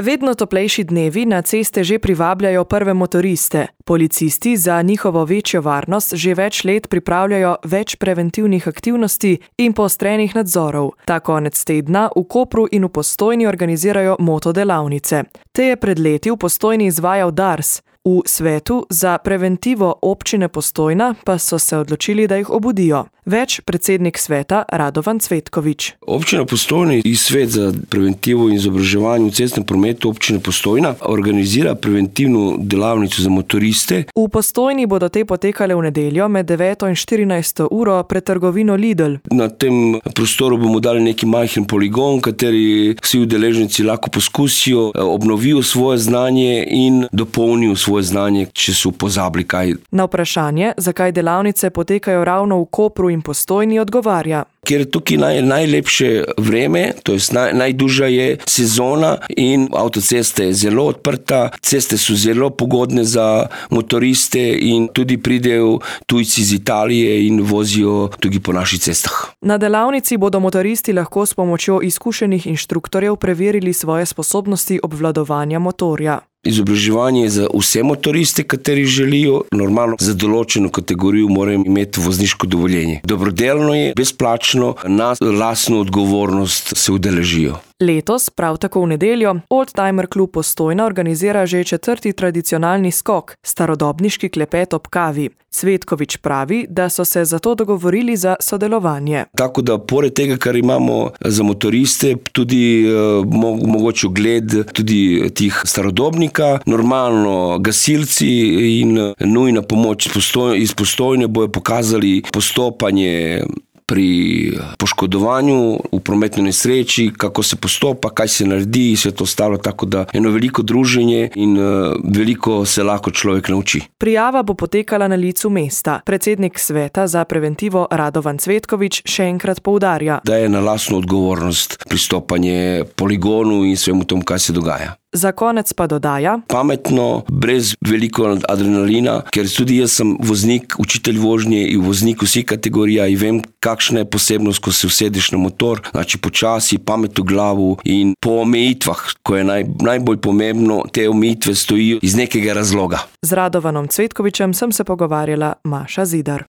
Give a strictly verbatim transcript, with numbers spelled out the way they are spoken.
Vedno toplejši dnevi na ceste že privabljajo prve motoriste. Policisti za njihovo večjo varnost že več let pripravljajo več preventivnih aktivnosti in poostrenih nadzorov. Ta konec tedna v Kopru in v Postojni organizirajo motodelavnice. Te je pred leti v Postojni izvajal Dars. V svetu za preventivo občine Postojna pa so se odločili, da jih obudijo. Več predsednik sveta Radovan Cvetkovič. Občina Postojna in svet za preventivo in izobraževanje v cestnem prometu občine Postojna organizira preventivno delavnico za motoriste. V Postojni bodo te potekale v nedeljo med deveto in štirinajsto uro pred trgovino Lidl. Na tem prostoru bomo dali neki majhen poligon, kateri vsi udeleženci lahko poskusijo, obnovijo svoje znanje in dopolnijo svoje znanje, če so pozabili kaj. Na vprašanje, zakaj delavnice potekajo ravno v Kopru in Postojni, odgovarja. Ker je tukaj naj, najlepše vreme, to je naj, najdužja je sezona in avtocesta je zelo odprta, ceste so zelo pogodne za motoriste in tudi pridejo tujci iz Italije in vozijo tudi po naših cestah. Na delavnici bodo motoristi lahko s pomočjo izkušenih inštruktorjev preverili svoje sposobnosti obvladovanja motorja. Izobraževanje je za vse motoriste, kateri želijo. Normalno za določeno kategorijo morajo imeti vozniško dovoljenje. Dobrodelno je, brezplačno, na lastno odgovornost se udeležijo. Letos, prav tako v nedeljo, Oldtimer klub Postojna organizira že četrti tradicionalni skok, starodobniški klepet ob kavi. Cvetkovič pravi, da so se zato dogovorili za sodelovanje. Tako da pored tega, kar imamo za motoriste, tudi uh, mogoče ogled tudi tih starodobnika, normalno gasilci in nujna pomoč iz Postojne bojo pokazali postopanje pri poškodovanju v prometni nesreči, kako se postopa, kaj se naredi in vse to ostalo, tako da eno veliko druženje in uh, veliko se lahko človek nauči. Prijava bo potekala na licu mesta. Predsednik sveta za preventivo Radovan Cvetkovič še enkrat poudarja, da je na lastno odgovornost pristopanje poligonu in svemu tomu, kaj se dogaja. Za konec pa dodaja: pametno, brez veliko adrenalina, ker tudi jaz sem voznik, učitelj vožnje in voznik vseh kategorija in vem, kakšna je posebnost, ko se usedeš na motor, znači počasi, pamet v glavu in po omejitvah, ko je naj, najbolj pomembno, te omejitve stojijo iz nekega razloga. Z Radovanom Cvetkovičem sem se pogovarjala Maša Zidar.